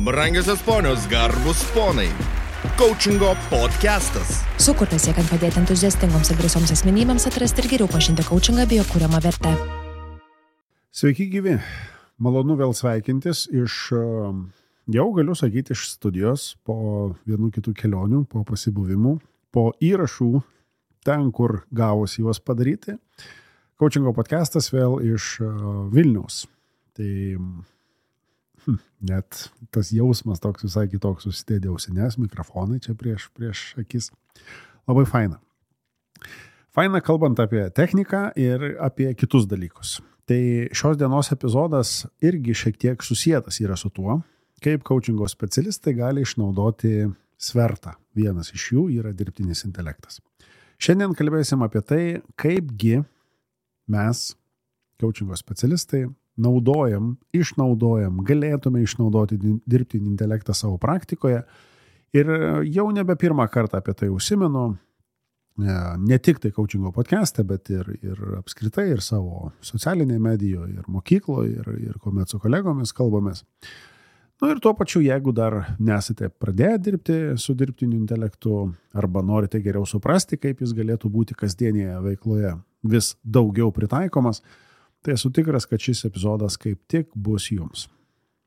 Brangiosios ponios, garbus ponai. Coachingo podcastas. Sukurtas siekiant padėti entuziastingoms ir drąsioms asmenybėms atrasti ir geriau pažinti coachingą bei jo kuriamą vertę. Sveiki gyvi. Malonu vėl sveikintis jau galiu sakyti, iš studijos po vienų kitų kelionių, po pasibuvimų, po įrašų ten, kur gavosi juos padaryti. Coachingo podcastas vėl iš Vilniaus. Tai net tas jausmas toks visai kitoks, susidėdė ausines, mikrofonai čia prieš akis. Labai faina. Faina kalbant apie techniką ir apie kitus dalykus. Tai šios dienos epizodas irgi šiek tiek susietas yra su tuo, kaip coachingo specialistai gali išnaudoti svertą. Vienas iš jų yra dirbtinis intelektas. Šiandien kalbėsim apie tai, kaipgi mes, coachingo specialistai, galėtume išnaudoti dirbtinį intelektą savo praktikoje. Ir jau nebe pirmą kartą apie tai užsimenu, ne tik tai coachingo podcast'e, bet ir apskritai, ir savo socialinėje medijoje, ir mokykloje, ir kuomet su kolegomis kalbamės. Ir tuo pačiu, jeigu dar nesate pradėję dirbti su dirbtiniu intelektu, arba norite geriau suprasti, kaip jis galėtų būti kasdienėje veikloje vis daugiau pritaikomas, tai esu tikras, kad šis epizodas kaip tik bus jums.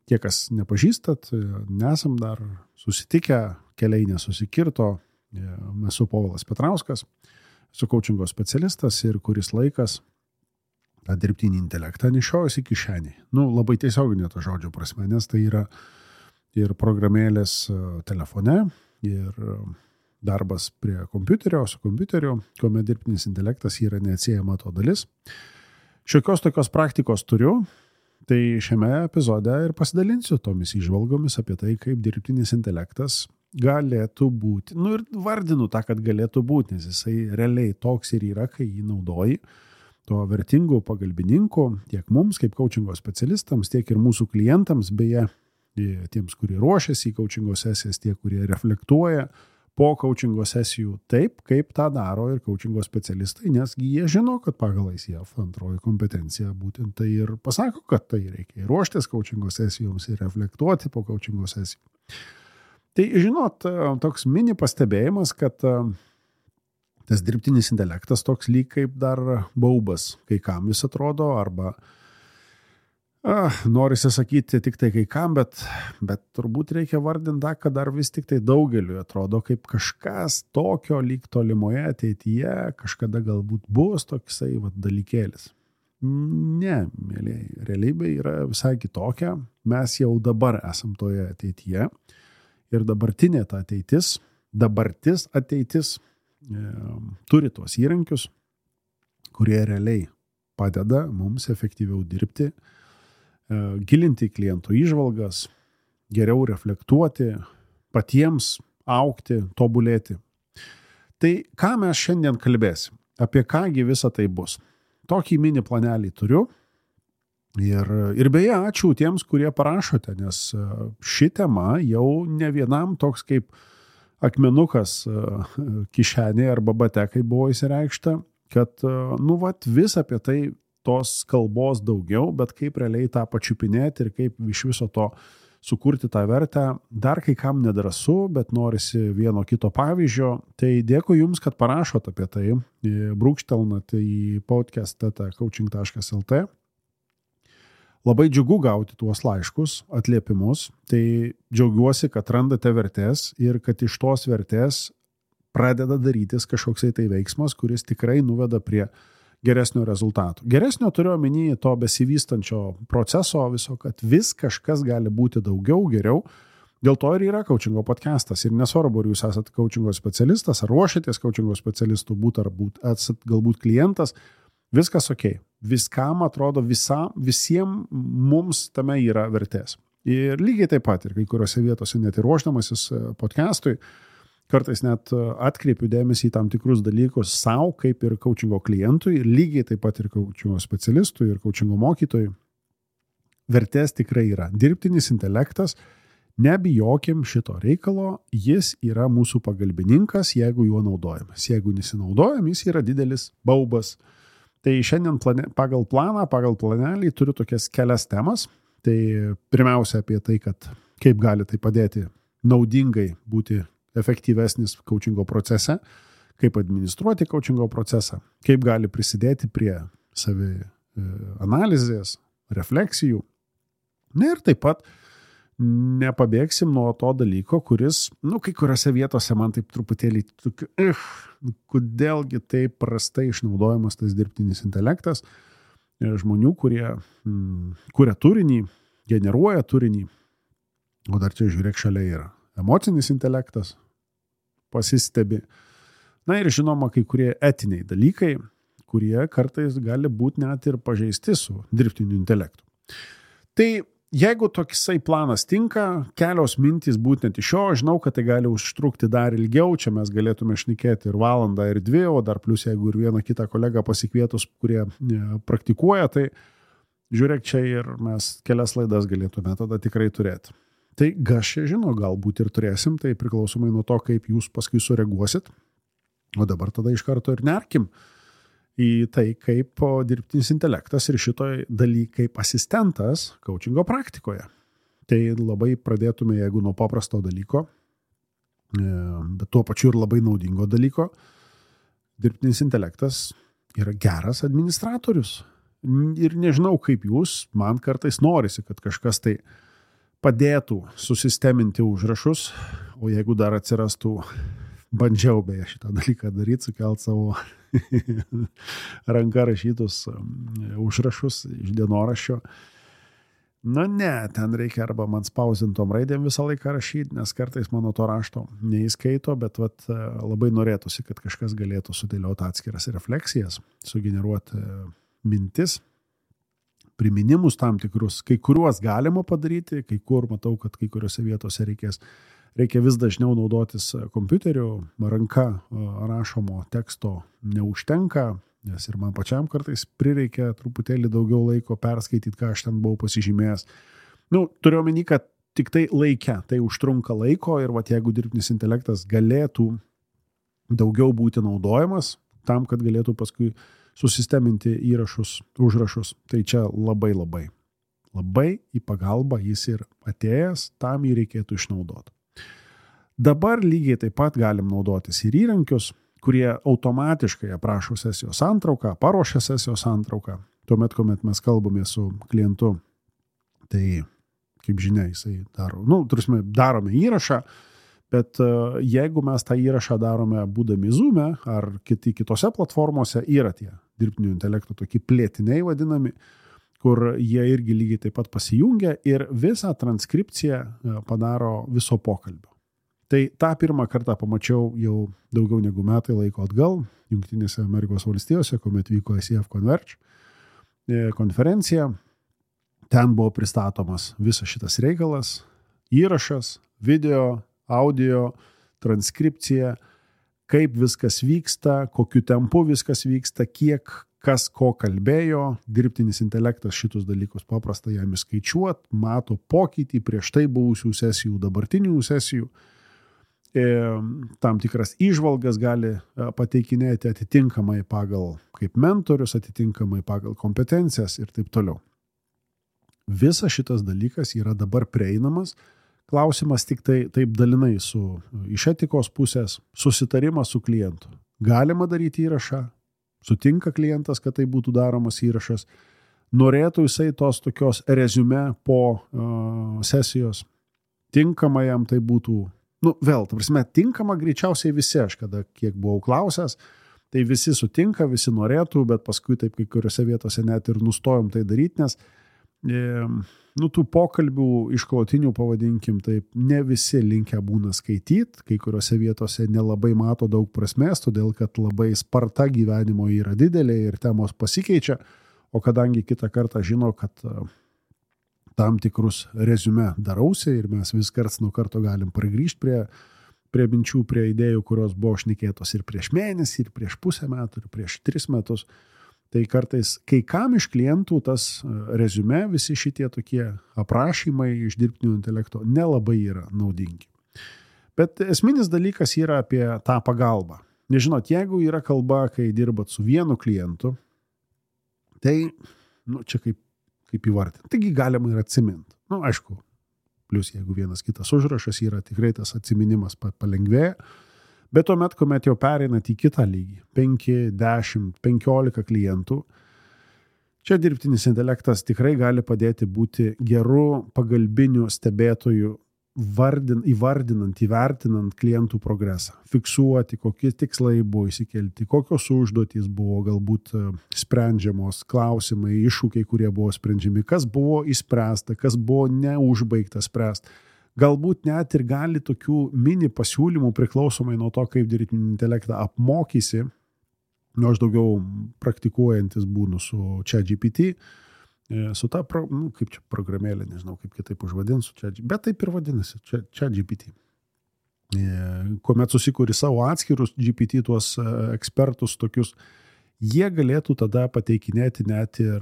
Tie, kas nepažįstat, nesam dar susitikę, keliai nesusikirto, esu Povilas Petrauskas, esu coachingo specialistas ir kuris laikas tą dirbtinį intelektą nešiojasi kišenį. Labai tiesioginė to žodžio prasme, nes tai yra ir programėlės telefone, ir darbas prie kompiuterio, su kompiuteriu, kuomet dirbtinis intelektas yra neatsiejama to dalis. Šiokios tokios praktikos turiu, tai šiame epizode ir pasidalinsiu tomis įžvalgomis apie tai, kaip dirbtinis intelektas galėtų būti. Ir vardinu tą, kad galėtų būti, nes jisai realiai toks ir yra, kai jį naudoji, to vertingų pagalbininkų tiek mums, kaip coachingo specialistams, tiek ir mūsų klientams, beje, tiems, kurie ruošiasi į coachingo sesijas, tie, kurie reflektuoja po coachingo sesijų taip, kaip tą daro ir coachingo specialistai, nes jie žino, kad pagal ICF antroji kompetencija būtent tai ir pasako, kad tai reikia ruoštis coachingo sesijoms ir reflektuoti po coachingo sesijų. Tai žinot, toks mini pastebėjimas, kad tas dirbtinis intelektas toks lyg kaip dar baubas, kai kam vis atrodo, arba norisi sakyti tik tai kai kam, bet turbūt reikia vardinti, kad dar vis tik tai daugeliu atrodo kaip kažkas tokio lyg tolimoje ateityje, kažkada galbūt bus toksai dalykėlis. Ne, mėlyje, realybė yra visai kitokia. Mes jau dabar esam toje ateityje ir dabartis ateitis turi tuos įrankius, kurie realiai padeda mums efektyviau dirbti, gilinti klientų įžvalgas, geriau reflektuoti, patiems augti, tobulėti. Tai ką mes šiandien kalbėsim? Apie kągi visa tai bus? Tokį mini planelį turiu. Ir beje, ačiū tiems, kurie parašote, nes ši tema jau ne vienam toks kaip akmenukas kišenė arba batekai buvo įsireikšta, kad vis apie tai tos kalbos daugiau, bet kaip realiai tą pačiupinėti ir kaip iš viso to sukurti tą vertę, dar kai kam nedrąsu, bet norisi vieno kito pavyzdžio. Tai dėkui Jums, kad parašot apie tai, brūkštelnat į podcast.coaching.lt. Labai džiugu gauti tuos laiškus, atliepimus, tai džiaugiuosi, kad randate vertės ir kad iš tos vertės pradeda darytis kažkoksai tai veiksmas, kuris tikrai nuveda prie geresnio rezultato. Geresnio turiu omeny to besivystančio proceso viso, kad vis kažkas gali būti daugiau, geriau. Dėl to ir yra coachingo podcastas. Ir nesvarbu, ar jūs esate coachingo specialistas, ar ruošiatės coachingo specialistų būti, ar esate galbūt klientas, viskas ok. Viskam atrodo, visiems mums tame yra vertės. Ir lygiai taip pat, ir kai kuriuose vietose net ir ruošdamasis podcastui, kartais net atkreipiu dėmesį į tam tikrus dalykus savo, kaip ir coachingo klientui, ir lygiai taip pat ir coachingo specialistui, ir coachingo mokytojui. Vertės tikrai yra. Dirbtinis intelektas, nebijokim šito reikalo, jis yra mūsų pagalbininkas, jeigu juo naudojamės. Jeigu nesinaudojam, jis yra didelis baubas. Tai šiandien pagal planelį turiu tokias kelias temas. Tai pirmiausia apie tai, kad kaip gali tai padėti naudingai būti efektyvesnis coachingo procese, kaip administruoti coachingo procesą, kaip gali prisidėti prie savi analizės, refleksijų. Ir taip pat nepabėgsim nuo to dalyko, kuris, kai kuriuose vietose man taip truputėlį, kodėlgi taip prastai išnaudojamas tas dirbtinis intelektas, žmonių, kurie kuria turinį, generuoja turinį, o dar čia žiūrėk šalia yra emocinis intelektas, pasistebi. Na ir žinoma, kai kurie etiniai dalykai, kurie kartais gali būti net ir pažeisti su dirbtiniu intelektu. Tai jeigu toksai planas tinka, kelios mintys būtent iš jo, žinau, kad tai gali užtrukti dar ilgiau, čia mes galėtume šnekėti ir valandą, ir 2, o dar plus jeigu ir vieną kitą kolegą pasikvietus, kurie praktikuoja, tai žiūrėk čia ir mes kelias laidas galėtume tada tikrai turėti. Tai aš čia žinau, galbūt ir turėsim, tai priklausomai nuo to, kaip jūs paskui sureaguosit, o dabar tada iš karto ir nerkim į tai, kaip dirbtinis intelektas ir šitoj daly kaip asistentas coachingo praktikoje. Tai labai pradėtume, jeigu nuo paprasto dalyko, bet tuo pačiu ir labai naudingo dalyko. Dirbtinis intelektas yra geras administratorius. Ir nežinau, kaip jūs, man kartais norisi, kad kažkas tai padėtų susisteminti užrašus, o jeigu dar atsirastų, bandžiau beje šitą dalyką daryti, sukelt savo ranka rašytus užrašus iš dienoraščio. Ne, ten reikia arba man spausintom raidėm visą laiką rašyti, nes kartais mano to rašto neįskaito, bet labai norėtųsi, kad kažkas galėtų sudėlioti atskiras refleksijas, sugeneruoti mintis, priminimus tam tikrus, kai kuriuos galima padaryti, kai kur matau, kad kai kuriuose vietose reikia vis dažniau naudotis kompiuteriu, ranka rašomo teksto neužtenka, nes ir man pačiam kartais prireikia truputėlį daugiau laiko perskaityti, ką aš ten buvau pasižymėjęs. Turiu omeny, kad tik tai laike, tai užtrunka laiko ir jeigu dirbtinis intelektas galėtų daugiau būti naudojamas tam, kad galėtų paskui susisteminti įrašus, užrašus, tai čia labai į pagalbą jis ir atėjęs, tam jį reikėtų išnaudoti. Dabar lygiai taip pat galim naudotis ir įrankius, kurie automatiškai aprašo sesijos santrauką, paruošia sesijos santrauką. Tuomet, kuomet mes kalbame su klientu, tai, kaip žinia, jisai daro, darome įrašą, bet jeigu mes tą įrašą darome būdami Zoom'e ar kitose platformose, yra tie dirbtinio intelekto tokie plėtiniai vadinami, kur jie irgi lygiai taip pat pasijungia ir visą transkripciją padaro viso pokalbio. Tai tą pirmą kartą pamačiau jau daugiau negu metai laiko atgal, Jungtinėse Amerikos valstijose, kuomet vyko ICF Converge konferencija. Ten buvo pristatomas visas šitas reikalas, įrašas, video, audio, transkripcija, kaip viskas vyksta, kokiu tempu viskas vyksta, kiek kas ko kalbėjo, dirbtinis intelektas šitus dalykus paprasta jam įskaičiuot, mato pokytį prieš tai buvusių sesijų, dabartinių sesijų. Tam tikras įžvalgas gali pateikinėti atitinkamai pagal kaip mentorius, atitinkamai pagal kompetencijas ir taip toliau. Visas šitas dalykas yra dabar prieinamas. Klausimas tik tai taip dalinai iš etikos pusės, susitarimas su klientu. Galima daryti įrašą, sutinka klientas, kad tai būtų daromas įrašas, norėtų jisai tos tokios reziume po sesijos, tinkama jam tai būtų. Tinkama greičiausiai visi, aš kiek buvau klausęs, tai visi sutinka, visi norėtų, bet paskui taip kai kuriuose vietose net ir nustojom tai daryti, nes tų pokalbių išklotinių, pavadinkim, taip ne visi linkę būna skaityti, kai kuriuose vietose nelabai mato daug prasmės, todėl kad labai sparta gyvenimo yra didelė ir temos pasikeičia, o kadangi kitą kartą žino, kad tam tikrus reziume darausi ir mes vis karts nuo karto galim pargrįžti prie minčių, prie idėjų, kurios buvo šnekėtos ir prieš mėnesį, ir prieš pusę metų, ir prieš 3 metus. Tai kartais kai kam iš klientų tas reziume, visi šitie tokie aprašymai iš dirbtinio intelekto nelabai yra naudingi. Bet esminis dalykas yra apie tą pagalbą. Nežinot, jeigu yra kalba, kai dirbat su vienu klientu, tai čia kaip įvardinti. Taigi galima ir atsiminti. Aišku, Plus jeigu vienas kitas užrašas yra, tikrai tas atsiminimas palengvėja. Bet tuomet, kuomet jau pereinat į kitą lygį, 5, 10, 15 klientų, čia dirbtinis intelektas tikrai gali padėti būti geru pagalbiniu stebėtoju, įvardinant, įvertinant klientų progresą, fiksuoti, kokie tikslai buvo įsikelti, kokios užduotys buvo galbūt sprendžiamos, klausimai, iššūkiai, kurie buvo sprendžiami, kas buvo įspręsta, kas buvo neužbaigta spręsti. Galbūt net ir gali tokių mini pasiūlymų priklausomai nuo to, kaip dirbtinį intelektą apmokysi, aš daugiau praktikuojantis būnu su ChatGPT, su ta, kaip čia programėlė, nežinau, kaip kitaip užvadinsiu, bet taip ir vadinasi, ChatGPT. Kuomet susikuri savo atskirus GPT, tuos ekspertus tokius, jie galėtų tada pateikinėti net ir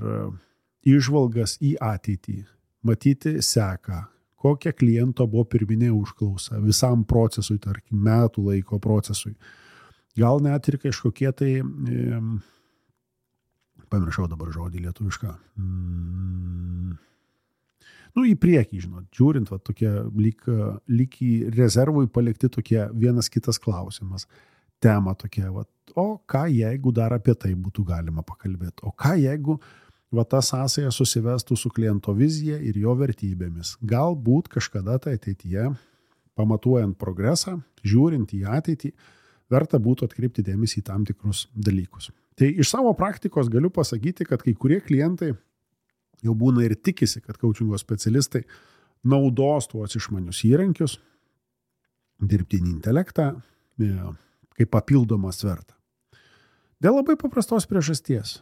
įžvalgas į ateitį, matyti seką, kokia kliento buvo pirminė užklausa visam procesui, tarkim, metų laiko procesui. Gal net ir kažkokie tai... Pamiršau dabar žodį lietuvišką. Į priekį, žinot, žiūrint, va, tokie lyg į rezervui palikti tokie vienas kitas klausimas. Tema tokia, va, o ką jeigu dar apie tai būtų galima pakalbėti? O ką jeigu va, ta sąsaja susivestų su kliento vizija ir jo vertybėmis? Galbūt kažkada tai ateityje, pamatuojant progresą, žiūrint į ateitį, verta būtų atkreipti dėmesį į tam tikrus dalykus. Tai iš savo praktikos galiu pasakyti, kad kai kurie klientai jau būna ir tikisi, kad coachingo specialistai naudos tuos išmanius įrankius, dirbtinį intelektą, kaip papildomą svertą. Dėl labai paprastos priežasties.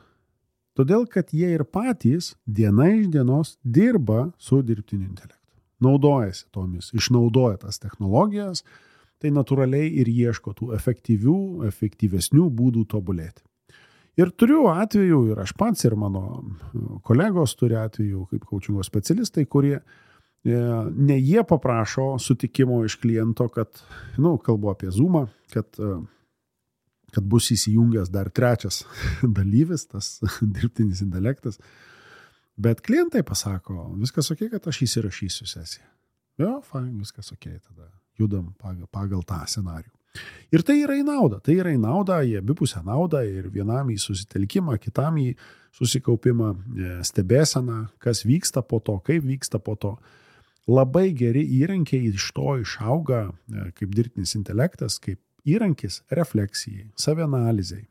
Todėl, kad jie ir patys diena iš dienos dirba su dirbtiniu intelektu. Naudojasi tomis, išnaudoja tas technologijas, tai natūraliai ir ieško tų efektyvesnių būdų tobulėti. Ir turiu atvejų, ir aš pats, ir mano kolegos turi atvejų kaip coachingo specialistai, kurie ne jie paprašo sutikimo iš kliento, kad, kalbu apie Zoomą, kad bus įsijungęs dar trečias dalyvis, tas dirbtinis intelektas, bet klientai pasako, viskas ok, kad aš įsirašysiu sesiją. Jo, fine, viskas ok, tada judam pagal tą scenarijų. Ir tai yra į naudą, į abipusę naudą ir vienam į susitelkimą, kitam į susikaupimą, stebėseną, kas vyksta po to, kaip vyksta po to. Labai geri įrankiai iš to išauga kaip dirbtinis intelektas, kaip įrankis refleksijai, savianalizai.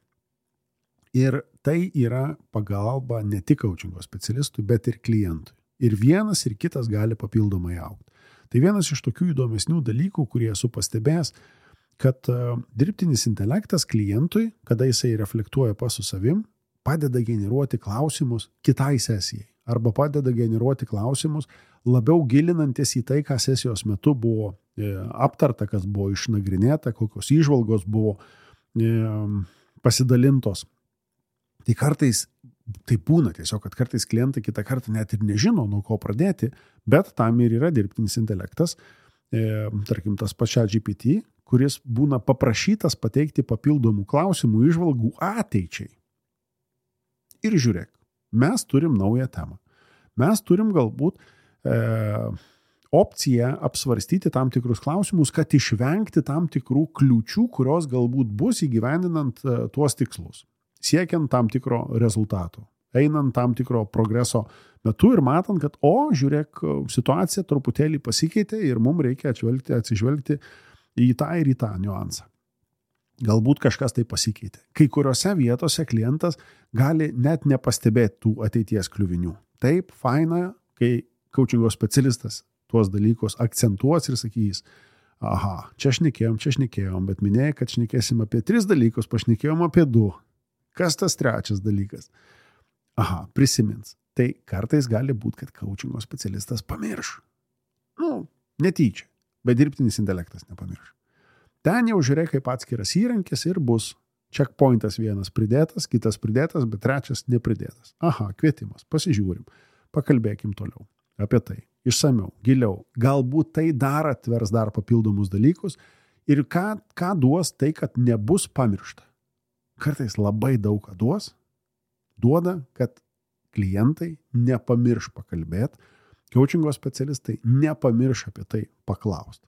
Ir tai yra pagalba ne tik coachingo specialistui, bet ir klientui. Ir vienas ir kitas gali papildomai augti. Tai vienas iš tokių įdomesnių dalykų, kurie esu pastebėjęs, kad dirbtinis intelektas klientui, kada jisai reflektuoja pas su savim, padeda generuoti klausimus kitai sesijai. Arba padeda generuoti klausimus labiau gilinantis į tai, ką sesijos metu buvo aptarta, kas buvo išnagrinėta, kokios įžvalgos buvo pasidalintos. Tai kartais tai būna tiesiog, kad kartais klientai kitą kartą net ir nežino, nuo ko pradėti, bet tam ir yra dirbtinis intelektas, tarkim tas pačia GPT, kuris būna paprašytas pateikti papildomų klausimų, įžvalgų ateičiai. Ir žiūrėk, mes turim naują temą. Mes turim galbūt opciją apsvarstyti tam tikrus klausimus, kad išvengti tam tikrų kliūčių, kurios galbūt bus įgyvendinant tuos tikslus, siekiant tam tikro rezultato, einant tam tikro progreso metu ir matant, kad, žiūrėk, situacija truputėlį pasikeitė ir mums reikia atsižvelgti į tą ir į tą niuansą. Galbūt kažkas tai pasikeitė. Kai kuriuose vietose klientas gali net nepastebėti tų ateities kliuvinių. Taip, faina, kai coachingo specialistas tuos dalykus akcentuos ir sakys, čia šnekėjom, bet minėjai, kad šnekėsim apie 3 dalykus, pašnekėjom apie 2. Kas tas trečias dalykas? Prisimins. Tai kartais gali būti, kad coachingo specialistas pamirš. Netyčia. Bet dirbtinis intelektas nepamirš. Ten jau žiūrėk kaip atskiras įrankis ir bus checkpointas vienas pridėtas, kitas pridėtas, bet trečias nepridėtas. Kvietimas, pasižiūrim, pakalbėkim toliau apie tai, išsamiau, giliau. Galbūt tai dar atvers dar papildomus dalykus ir ką duos tai, kad nebus pamiršta. Kartais labai daug ką duoda, kad klientai nepamirš pakalbėti, Coachingo specialistai nepamirš apie tai paklausti.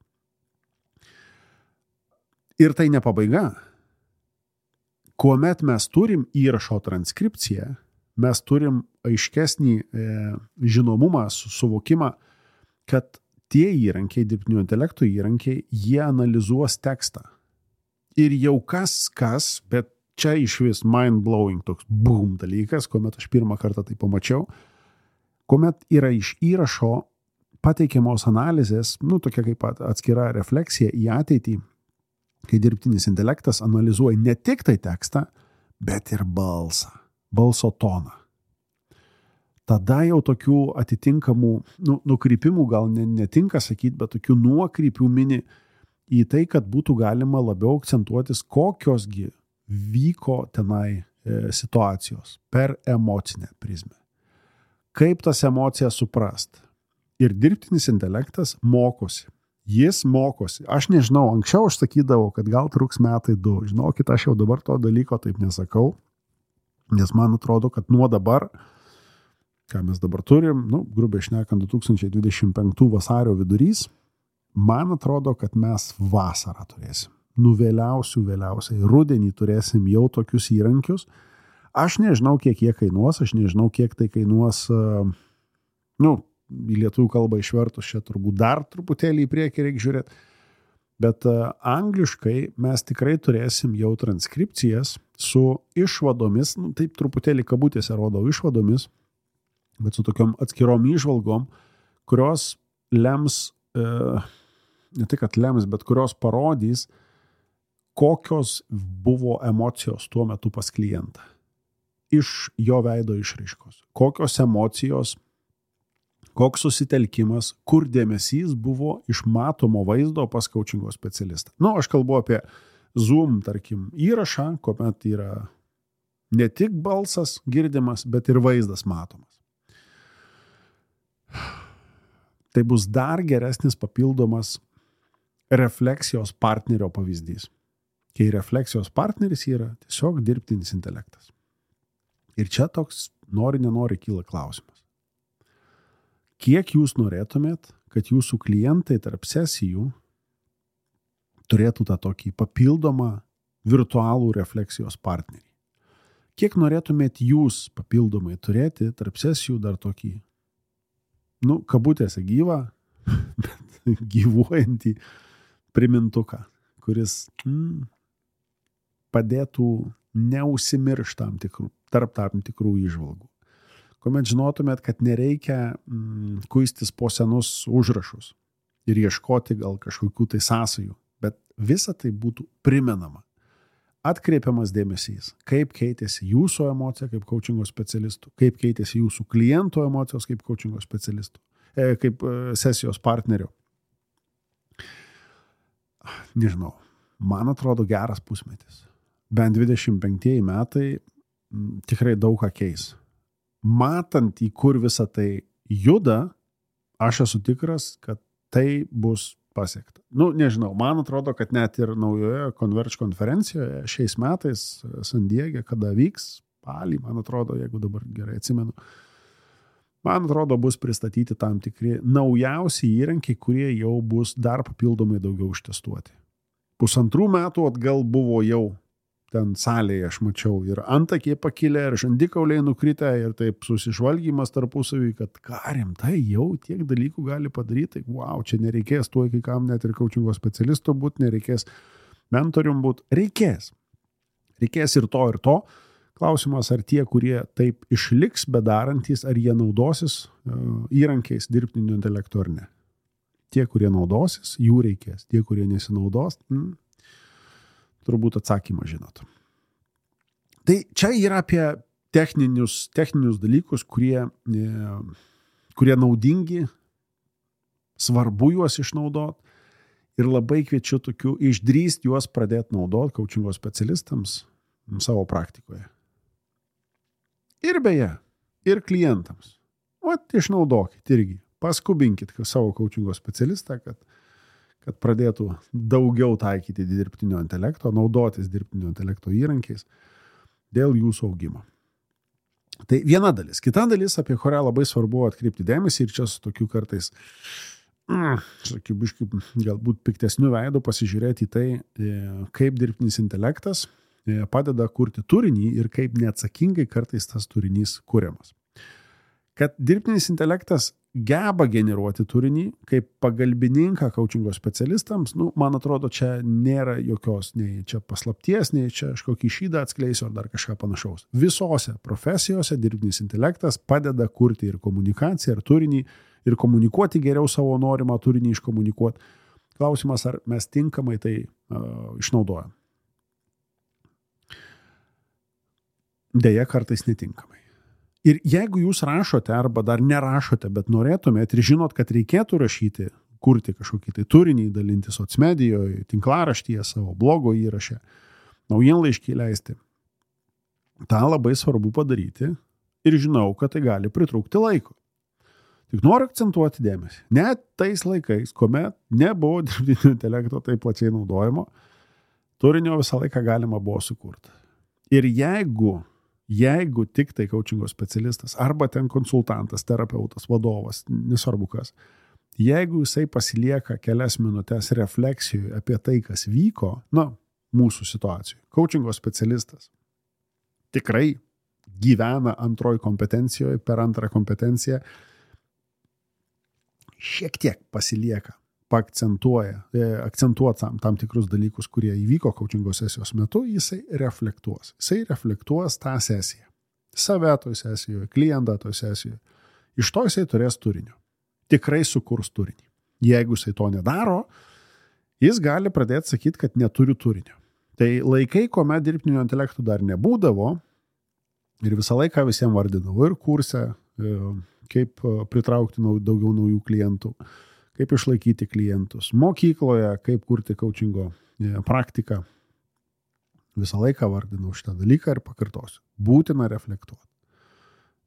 Ir tai ne pabaiga. Kuomet mes turim įrašo transkripciją, mes turim aiškesnį žinomumą, suvokimą, kad tie įrankiai, dirbtinio intelekto įrankiai, jie analizuos tekstą. Ir jau kas, bet čia iš vis mind-blowing toks boom dalykas, kuomet aš pirmą kartą tai pamačiau, kuomet yra iš įrašo pateikiamos analizės, tokia kaip atskira refleksija į ateitį, kai dirbtinis intelektas analizuoja ne tik tai tekstą, bet ir balso toną. Tada jau tokių atitinkamų nukrypimų gal netinka sakyti, bet tokių nuokrypių mini į tai, kad būtų galima labiau akcentuotis, kokiosgi vyko tenai situacijos per emocinę prizmę. Kaip tas emocijas suprast. Ir dirbtinis intelektas mokosi. Jis mokosi. Aš nežinau, anksčiau aš sakydavau, kad gal truks metai 2. Žinokit, aš jau dabar to dalyko taip nesakau, nes man atrodo, kad nuo dabar, ką mes dabar turim, grubiai šnekant 2025 vasario vidurys, man atrodo, kad mes vasarą turėsim. Vėliausiai rudenį turėsim jau tokius įrankius. Aš nežinau, kiek jie kainuos, aš nežinau, kiek tai kainuos, į lietuvių kalbą išvertus čia turbūt dar truputėlį į priekį reikia žiūrėti, bet angliškai mes tikrai turėsim jau transkripcijas su išvadomis, taip truputėlį kabutėse rodau išvadomis, bet su tokiom atskirom įžvalgom, kurios lems, ne tik kad lems, bet kurios parodys, kokios buvo emocijos tuo metu pas klientą. Iš jo veido išraiškos. Kokios emocijos, koks susitelkimas, kur dėmesys buvo iš matomo vaizdo pas coachingo specialistą. Aš kalbu apie Zoom, tarkim, įrašą, kuomet yra ne tik balsas girdimas, bet ir vaizdas matomas. Tai bus dar geresnis papildomas refleksijos partnerio pavyzdys. Kai refleksijos partneris yra tiesiog dirbtinis intelektas. Ir čia toks nenori kyla klausimas. Kiek jūs norėtumėt, kad jūsų klientai tarp sesijų turėtų tą tokį papildomą virtualų refleksijos partnerį? Kiek norėtumėt jūs papildomai turėti tarp sesijų dar tokį, kabutėse gyvą, bet gyvuojantį primintuką, kuris padėtų neužsimiršti tarp tam tikrų įžvalgų. Kuomet žinotumėt, kad nereikia kuistis po senus užrašus ir ieškoti gal kažkokių tai sąsajų, bet visa tai būtų primenama. Atkreipiamas dėmesys, kaip keitėsi jūsų emocija kaip coachingo specialistų, kaip keitėsi jūsų klientų emocijos kaip coachingo specialistų, kaip sesijos partnerio. Nežinau, man atrodo geras pusmetis. Bent 25 metai tikrai daug ką keis. Matant, į kur visa tai juda, aš esu tikras, kad tai bus pasiekta. Nežinau, man atrodo, kad net ir naujoje Converge konferencijoje šiais metais San Diege, kada vyks, spalį, man atrodo, jeigu dabar gerai atsimenu, man atrodo, bus pristatyti tam tikri naujausi įrankiai, kurie jau bus dar papildomai daugiau ištestuoti. 1,5 metų atgal buvo jau ten salėje, aš mačiau, ir antakiai pakilę, ir žandikauliai nukritę, ir taip susižvalgymas tarpusavį, kad rimtai jau tiek dalykų gali padaryti. Wow, čia nereikės tuo, kai kam net ir coachingo specialisto būti, nereikės mentorium būti. Reikės. Reikės ir to, ir to. Klausimas, ar tie, kurie taip išliks bedarantys, ar jie naudosis įrankiais dirbtinio intelekto ar ne. Tie, kurie naudosis, jų reikės. Tie, kurie nesinaudos, turbūt atsakymą žinot. Tai čia yra apie techninius dalykus, kurie naudingi, svarbu juos išnaudoti ir labai kviečiu tokių išdrįsti juos pradėti naudoti coachingo specialistams savo praktikoje. Ir beje, ir klientams. Išnaudokit irgi. Paskubinkit savo coachingo specialistą, kad pradėtų daugiau taikyti dirbtinio intelekto, naudotis dirbtinio intelekto įrankiais dėl jūsų augimo. Tai viena dalis. Kita dalis, apie kurią labai svarbu atkreipti dėmesį ir čia su tokiu kartais, sakybiškai, galbūt piktesnių veidų pasižiūrėti į tai, kaip dirbtinis intelektas padeda kurti turinį ir kaip neatsakingai kartais tas turinys kuriamas. Kad dirbtinis intelektas geba generuoti turinį kaip pagalbininką coachingo specialistams, man atrodo, čia nėra jokios nei čia paslapties, nei čia aš kokį šydą atskleisiu ar dar kažką panašaus. Visose profesijose dirbtinis intelektas padeda kurti ir komunikaciją, ir turinį, ir komunikuoti geriau savo norimą turinį iškomunikuoti. Klausimas, ar mes tinkamai tai išnaudojam. Deja, kartais netinkamai. Ir jeigu jūs rašote arba dar nerašote, bet norėtumėte ir žinot, kad reikėtų rašyti, kurti kažkokį tai turinį, dalinti socmedijoje, tinklaraštyje, savo blogo įraše, naujienlaiškį leisti, tą labai svarbu padaryti ir žinau, kad tai gali pritrūkti laiko. Tik noriu akcentuoti dėmesį. Net tais laikais, kuomet nebuvo dirbtinio intelekto taip plačiai naudojimo, turinio visą laiką galima buvo sukurti. Ir jeigu tik tai coachingo specialistas arba ten konsultantas, terapeutas, vadovas, nesvarbu kas, jeigu jisai pasilieka kelias minutės refleksijoje apie tai, kas vyko, mūsų situacijoje, coachingo specialistas tikrai gyvena antroji kompetencijoje, per antrą kompetenciją šiek tiek pasilieka, akcentuoja tam tikrus dalykus, kurie įvyko coachingo sesijos metu, jisai reflektuos. Jisai reflektuos tą sesiją. Save toj sesijoje, klientą toj sesijoje. Iš to jisai turės turinio. Tikrai sukurs turinį. Jeigu jisai to nedaro, jis gali pradėti sakyti, kad neturi turinio. Tai laikai, kuomet dirbtinio intelektų dar nebūdavo ir visą laiką visiems vardinau ir kurse, kaip pritraukti daugiau naujų klientų, kaip išlaikyti klientus. Mokykloje, kaip kurti coachingo praktiką. Visą laiką vardinau šitą dalyką ir pakartosiu. Būtina reflektuoti.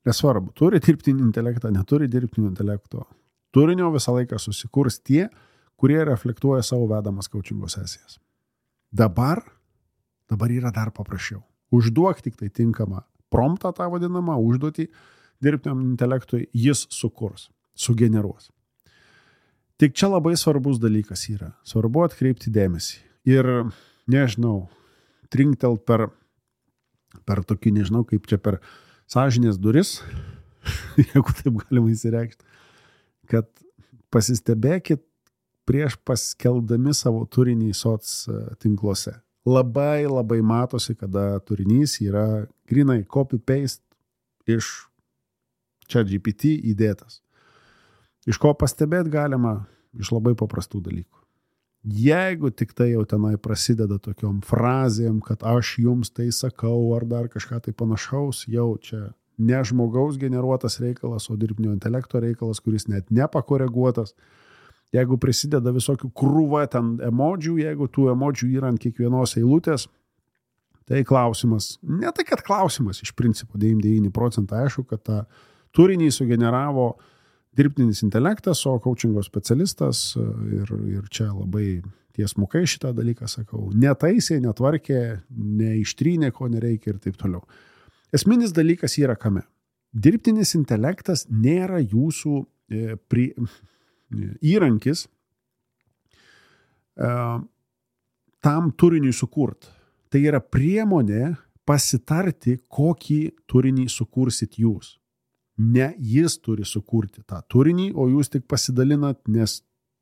Nesvarbu, turi dirbtinį intelektą, neturi dirbtinio intelekto. Turinio visą laiką susikurs tie, kurie reflektuoja savo vedamas coachingo sesijas. Dabar yra dar paprasčiau. Užduok tik tai tinkamą promptą, tą vadinamą užduotį, dirbtiniam intelektui, jis sukurs, sugeneruos. Tik čia labai svarbus dalykas yra. Svarbu atkreipti dėmesį. Ir, trinktelt per tokį, kaip čia per sąžinės duris, jeigu taip galima įsireikšti, kad pasistebėkit prieš paskeldami savo turinį soc tinkluose. Labai matosi, kada turinys yra grinai copy-paste iš ChatGPT įdėtas. Iš ko pastebėti galima? Iš labai paprastų dalykų. Jeigu tik tai jau tenai prasideda tokiom frazėm, kad aš jums tai sakau ar dar kažką tai panašaus, jau čia ne žmogaus generuotas reikalas, o dirbtinio intelekto reikalas, kuris net nepakoreguotas. Jeigu prisideda visokių krūva ten emodžių, jeigu tų emodžių yra ant kiekvienos eilutės, tai klausimas, ne tai kad klausimas, iš principo 99% aišku, kad tą turinį sugeneravo dirbtinis intelektas, o coachingo specialistas ir čia labai tiesmukai šitą dalyką sakau, netaisė, netvarkė, neištrynė, ko nereikia ir taip toliau. Esminis dalykas yra kame. Dirbtinis intelektas nėra jūsų įrankis tam turiniui sukurti. Tai yra priemonė pasitarti, kokį turinį sukursit jūs. Ne jis turi sukurti tą turinį, o jūs tik pasidalinat, nes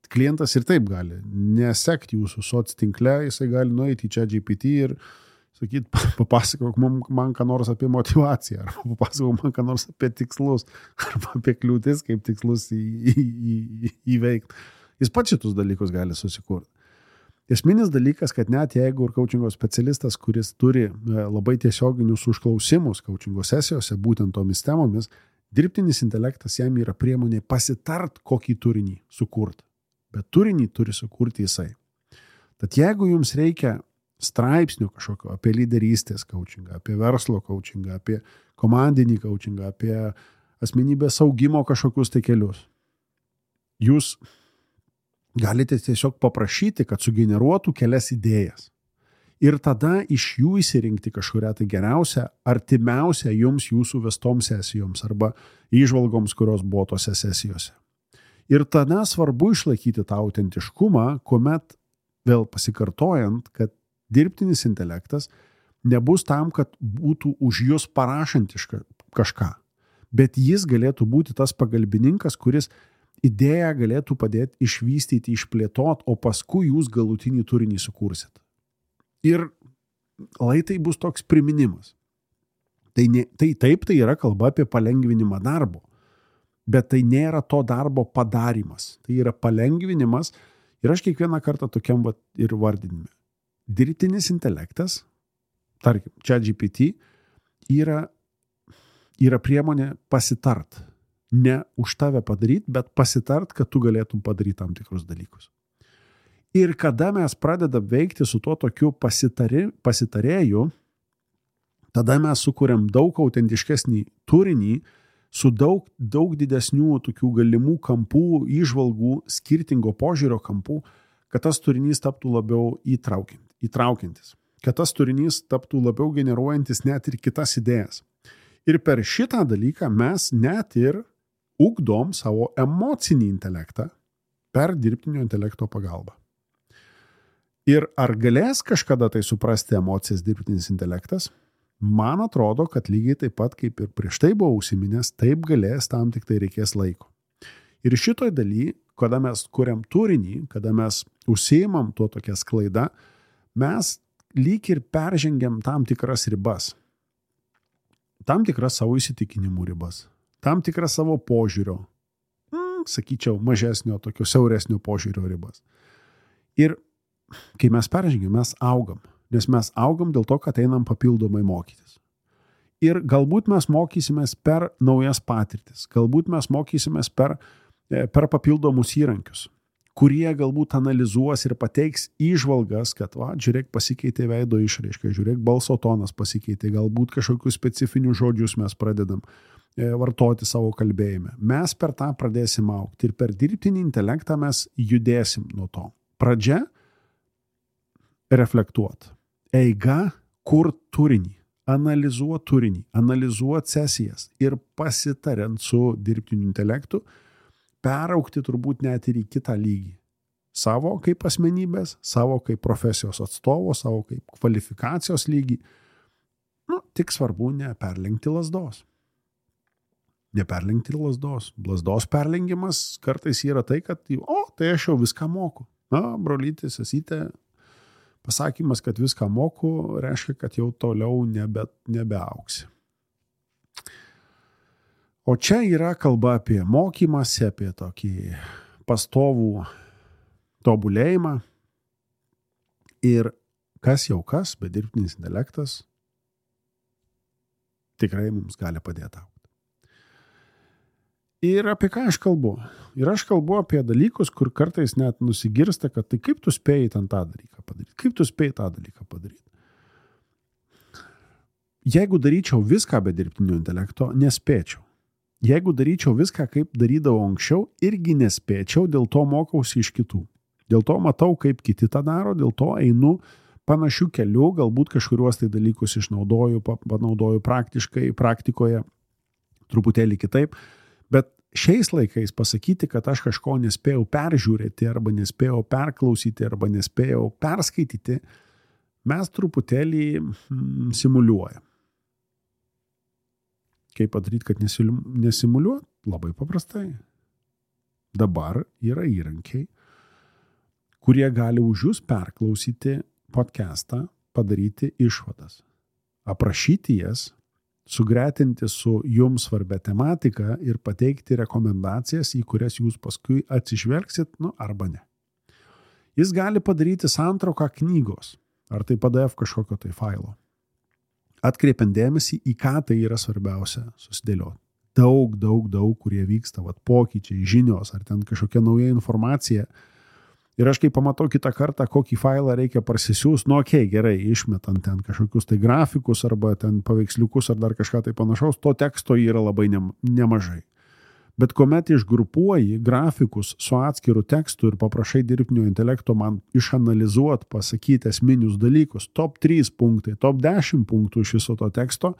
klientas ir taip gali nesekti jūsų soc tinkle, jisai gali nueiti į ChatGPT ir sakyti, papasakok man ką nors apie motivaciją, arba papasakok man ką nors apie tikslus, arba apie kliūtis, kaip tikslus įveikti. Jis pats šitus dalykus gali susikurti. Esminis dalykas, kad net jeigu ir coachingo specialistas, kuris turi labai tiesioginius užklausimus coachingo sesijose, būtent tomis temomis, dirbtinis intelektas jam yra priemonė pasitart, kokį turinį sukurti. Bet turinį turi sukurti jisai. Tad jeigu jums reikia straipsnių kažkokio apie lyderystės coachingą, apie verslo coachingą, apie komandinį coachingą, apie asmenybės augimo kažkokius tai kelius, jūs galite tiesiog paprašyti, kad sugeneruotų kelias idėjas. Ir tada iš jų įsirinkti kažkurią tai geriausią, artimiausią jums jūsų vestoms sesijoms arba įžvalgoms, kurios buvo tose sesijose. Ir tada svarbu išlaikyti tą autentiškumą, kuomet, vėl pasikartojant, kad dirbtinis intelektas nebus tam, kad būtų už jūs parašantis kažką, bet jis galėtų būti tas pagalbininkas, kuris idėją galėtų padėti išvystyti, išplėtot, o paskui jūs galutinį turinį sukursit. Ir tai bus toks priminimas. Tai yra kalba apie palengvinimą darbo, bet tai nėra to darbo padarimas. Tai yra palengvinimas ir aš kiekvieną kartą tokiam ir vardinime. Dirbtinis intelektas, tarkim, ChatGPT, yra priemonė pasitart. Ne už tave padaryti, bet pasitart, kad tu galėtum padaryti tam tikrus dalykus. Ir kada mes pradedam veikti su tuo tokiu pasitarėju, tada mes sukuriam daug autentiškesnį turinį, su daug didesnių tokių galimų kampų, įžvalgų, skirtingo požiūrio kampų, kad tas turinys taptų labiau įtraukiantis, kad tas turinys taptų labiau generuojantis net ir kitas idėjas. Ir per šitą dalyką mes net ir ugdom savo emocinį intelektą per dirbtinio intelekto pagalbą. Ir ar galės kažkada tai suprasti emocijas dirbtinis intelektas? Man atrodo, kad lygiai taip pat, kaip ir prieš tai buvo užsiminęs, taip galės, tam tik tai reikės laiko. Ir šitoj daly, kada mes kuriam turinį, kada mes užsiimam tuo tokia sklaida, mes lyg ir peržengiam tam tikras ribas. Tam tikras savo įsitikinimų ribas. Tam tikras savo požiūrio, sakyčiau, mažesnio, tokio siauresnio požiūrio ribas. Ir kai mes peržengiam, mes augam. Nes mes augam dėl to, kad einam papildomai mokytis. Ir galbūt mes mokysimės per naujas patirtis. Galbūt mes mokysimės per papildomus įrankius, kurie galbūt analizuos ir pateiks įžvalgas, kad, žiūrėk, pasikeitė veido išraiška, žiūrėk, balso tonas pasikeitė, galbūt kažkokius specifinius žodžius mes pradedam vartoti savo kalbėjime. Mes per tą pradėsim augti ir per dirbtinį intelektą mes judėsim nuo to. Pradžia – reflektuot. Eiga – kur turinį, analizuot turinį, analizuot sesijas ir pasitariant su dirbtiniu intelektu, peraugti turbūt net ir į kitą lygį. Savo kaip asmenybės, savo kaip profesijos atstovo, savo kaip kvalifikacijos lygį. Tik svarbu neperlenkti lazdos. Neperlenkti lazdos. Lazdos perlengimas kartais yra tai, kad tai aš jau viską moku. Brolyti, sesytė, pasakymas, kad viską moku, reiškia, kad jau toliau nebeauksi. O čia yra kalba apie mokymąsi, apie tokį pastovų tobulėjimą. Ir kas jau kas, bet dirbtinis intelektas tikrai mums gali padėti augti. Ir apie ką aš kalbu? Ir aš kalbu apie dalykus, kur kartais net nusigirsta, kad tai kaip tu spėjai ten tą dalyką padaryti? Kaip tu spėjai tą dalyką padaryti? Jeigu daryčiau viską be dirbtinio intelekto, nespėčiau. Jeigu daryčiau viską, kaip darydavau anksčiau, irgi nespėčiau, dėl to mokausi iš kitų. Dėl to matau, kaip kiti tą daro, dėl to einu panašių kelių, galbūt kažkuriuos tai dalykus panaudoju praktikoje, truputėlį kitaip. Bet šiais laikais pasakyti, kad aš kažko nespėjau peržiūrėti, arba nespėjau perklausyti, arba nespėjau perskaityti, mes truputėlį simuliuojam. Kaip padaryti, kad nesimuliuot? Labai paprastai. Dabar yra įrankiai, kurie gali už jūs perklausyti podcastą, padaryti išvadas, aprašyti jas, sugretinti su jums svarbia tematika ir pateikti rekomendacijas, į kurias jūs paskui atsižvelgsit, arba ne. Jis gali padaryti santrauką knygos, ar tai PDF kažkokio tai failo. Atkreipiant dėmesį, į ką tai yra svarbiausia susidėlioti. Daug, kurie vyksta, pokyčiai, žinios, ar ten kažkokia nauja informacija. Ir aš kai pamatau kitą kartą, kokį failą reikia parsisiųs, gerai, išmetant ten kažkokius tai grafikus, arba ten paveiksliukus, ar dar kažką tai panašaus, to teksto yra labai nemažai. Bet kuomet išgrupuoji grafikus su atskiru tekstu ir paprašai dirbtinio intelekto man išanalizuot, pasakyti esminius dalykus, top 3 punktai, top 10 punktų iš viso to teksto,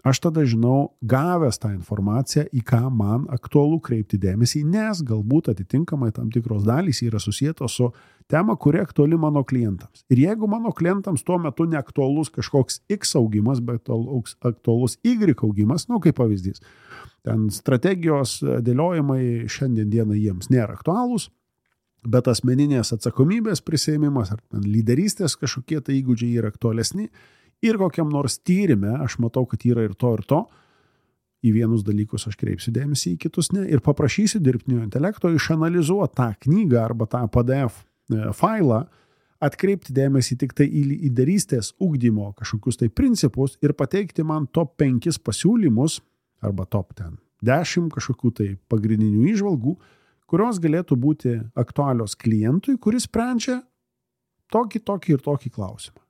aš tada žinau, gavęs tą informaciją, į ką man aktualu kreipti dėmesį, nes galbūt atitinkamai tam tikros dalys yra susietos su tema, kuri aktuali mano klientams. Ir jeigu mano klientams tuo metu neaktualus kažkoks X augimas, bet aktualus Y augimas, kaip pavyzdys, ten strategijos dėliojimai šiandien dieną jiems nėra aktualūs, bet asmeninės atsakomybės prisėmimas ar lyderystės kažkokie tai įgūdžiai yra aktualesni, ir kokiam nors tyrime aš matau, kad yra ir to, į vienus dalykus aš kreipsiu dėmesį, į kitus ne, ir paprašysiu dirbtinio intelekto išanalizuoti tą knygą arba tą PDF failą, atkreipti dėmesį tik tai į lyderystės ugdymo kažkokius tai principus ir pateikti man top 5 pasiūlymus arba top 10 kažkokių tai pagrindinių įžvalgų, kurios galėtų būti aktualios klientui, kuris sprendžia tokį ir tokį klausimą.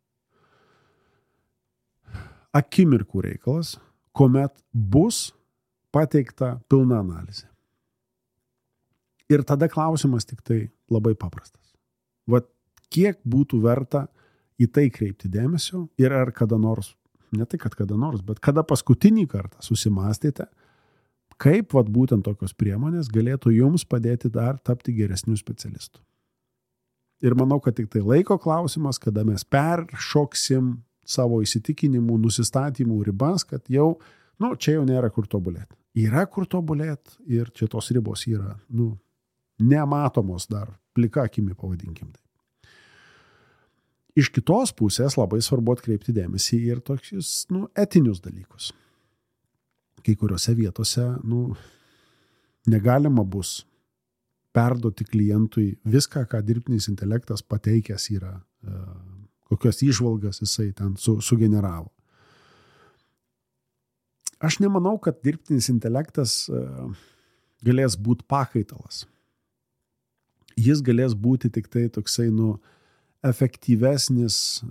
Akimirkų reikalas, kuomet bus pateikta pilna analizė. Ir tada klausimas tik tai labai paprastas. Vat kiek būtų verta į tai kreipti dėmesio ir ar kada nors, ne tai kad kada nors, bet kada paskutinį kartą susimastėte, kaip vat būtent tokios priemonės galėtų jums padėti dar tapti geresnių specialistų. Ir manau, kad tik tai laiko klausimas, kada mes peršoksim savo įsitikinimų, nusistatymų ribas, kad jau, čia jau nėra kur tobulėti. Yra kur tobulėti ir čia tos ribos yra, nematomos dar, plika akimi pavadinkim tai. Iš kitos pusės labai svarbu atkreipti dėmesį ir tokius, etinius dalykus. Kai kuriuose vietose, negalima bus perduoti klientui viską, ką dirbtinis intelektas pateikęs yra, kokios įžvalgas jisai ten sugeneravo. Aš nemanau, kad dirbtinis intelektas galės būti pakaitalas. Jis galės būti tik tai toksai, efektyvesnis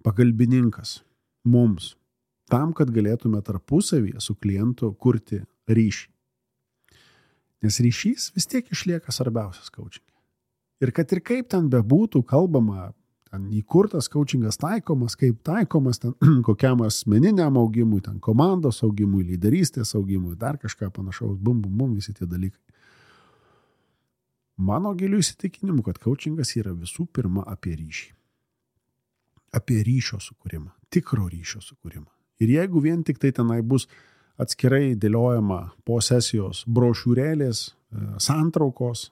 pagalbininkas mums, tam, kad galėtume tarpusavyje su klientu kurti ryšį. Nes ryšys vis tiek išlieka svarbiausias coachinge. Ir kad ir kaip ten bebūtų kalbama, ten įkurtas coachingas taikomas, kaip taikomas ten kokiam asmeniniam augimui, ten komandos augimui, lyderystės augimui, dar kažką panašaus, visi tie dalykai. Mano giliu įsitikinimu, kad coachingas yra visų pirma apie ryšį. Apie ryšio sukūrimą, tikro ryšio sukūrimą. Ir jeigu vien tik tai tenai bus atskirai dėliojama po sesijos brošiūrėlės, santraukos,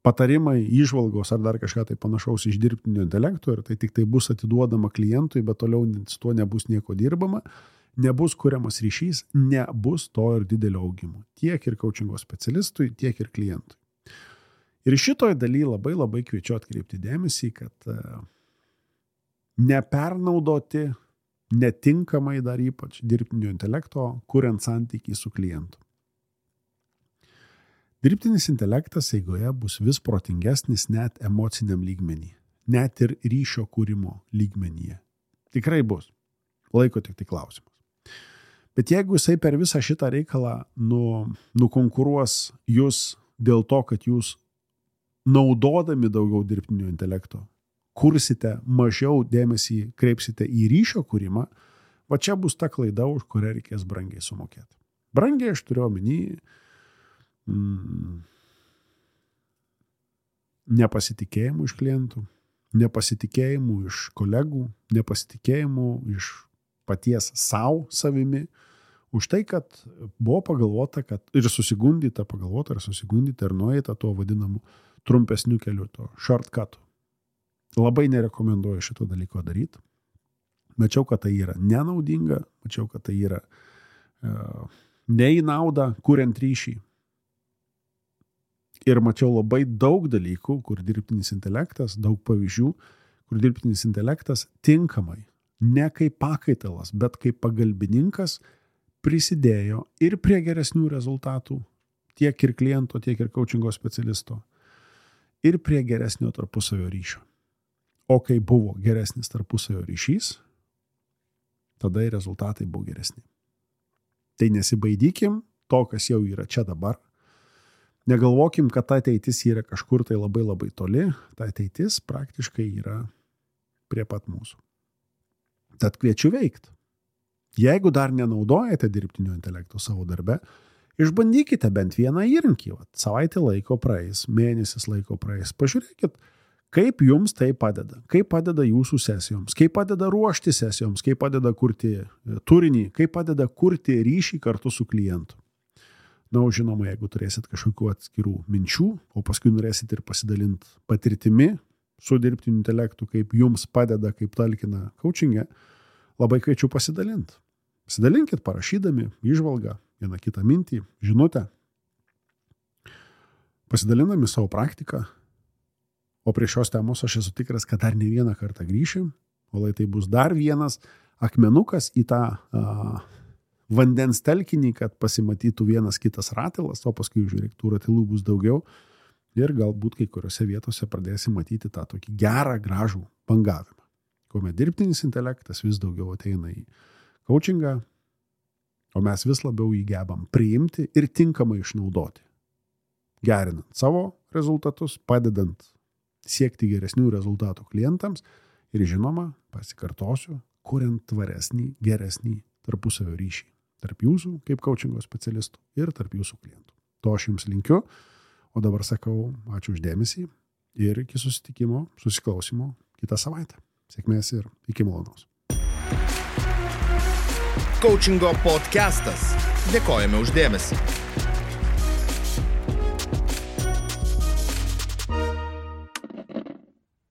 patarimai, įžvalgos ar dar kažką tai panašaus iš dirbtinio intelekto ir tai tik tai bus atiduodama klientui, bet toliau su tuo nebus nieko dirbama, nebus kuriamas ryšys, nebus to ir didelio augimo. Tiek ir coachingo specialistui, tiek ir klientui. Ir šitoj daly labai labai kviečiu atkreipti dėmesį, kad nepernaudoti netinkamai dar ypač dirbtinio intelekto, kuriant santykį su klientu. Dirbtinis intelektas eigoje bus vis protingesnis net emociniam lygmenį, net ir ryšio kūrimo lygmenyje. Tikrai bus. Laiko tik tai klausimas. Bet jeigu jisai per visą šitą reikalą nukonkuruos jūs dėl to, kad jūs naudodami daugiau dirbtinio intelekto kursite, mažiau dėmesį kreipsite į ryšio kūrimą, va čia bus ta klaida, už kurią reikės brangiai sumokėti. Brangiai aš turiu omeny nepasitikėjimų iš klientų, nepasitikėjimų iš kolegų, nepasitikėjimų iš paties savimi, už tai, kad buvo pagalvota, kad ir susigundyta ir nueita tuo vadinamu trumpesniu keliu, to shortcutu. Labai nerekomenduoju šito dalyko daryti. Mačiau, kad tai yra nenaudinga, mačiau, kad tai yra ne į naudą, kuriant ryšį. Ir mačiau labai daug dalykų, kur dirbtinis intelektas, daug pavyzdžių, kur dirbtinis intelektas tinkamai, ne kaip pakaitalas, bet kaip pagalbininkas prisidėjo ir prie geresnių rezultatų, tiek ir kliento, tiek ir coachingo specialisto, ir prie geresnio tarpusavio ryšio. O kai buvo geresnis tarpusavio ryšys, tada ir rezultatai buvo geresni. Tai nesibaidykim, to, kas jau yra čia dabar. Negalvokim, kad ta ateitis yra kažkur tai labai labai toli, ta ateitis praktiškai yra prie pat mūsų. Tad kviečiu veikti. Jeigu dar nenaudojate dirbtinio intelekto savo darbe, išbandykite bent vieną įrankį. Savaitę laiko praeis, mėnesis laiko praeis. Pažiūrėkit, kaip jums tai padeda. Kaip padeda jūsų sesijoms, kaip padeda ruošti sesijoms, kaip padeda kurti turinį, kaip padeda kurti ryšį kartu su klientu. Na, žinoma, jeigu turėsit kažkokių atskirų minčių, o paskui norėsit ir pasidalinti patirtimi su dirbtiniu intelektu, kaip jums padeda, kaip talkina coaching'e, labai kviečiu pasidalinti. Pasidalinkit parašydami įžvalgą, vieną kitą mintį, žinutę, pasidalindami savo praktiką, o prie šios temos aš esu tikras, kad dar ne vieną kartą grįšim, o tai bus dar vienas akmenukas į tą vandens telkinį, kad pasimatytų vienas kitas ratilas, o paskui žiūrėk, tų ratilų bus daugiau ir galbūt kai kuriuose vietose pradėsi matyti tą tokį gerą, gražų bangavimą, kuomet dirbtinis intelektas vis daugiau ateina į coachingą, o mes vis labiau jį gebam priimti ir tinkamai išnaudoti, gerinant savo rezultatus, padedant siekti geresnių rezultatų klientams ir žinoma, pasikartosiu, kuriant tvaresnį, geresnį tarpusavio ryšį tarp jūsų kaip coachingo specialistų ir tarp jūsų klientų. To aš jums linkiu, o dabar sakau ačiū už dėmesį ir iki susiklausimo kitą savaitę. Sėkmės ir iki malonaus. Coachingo podcastas. Dėkojame už dėmesį.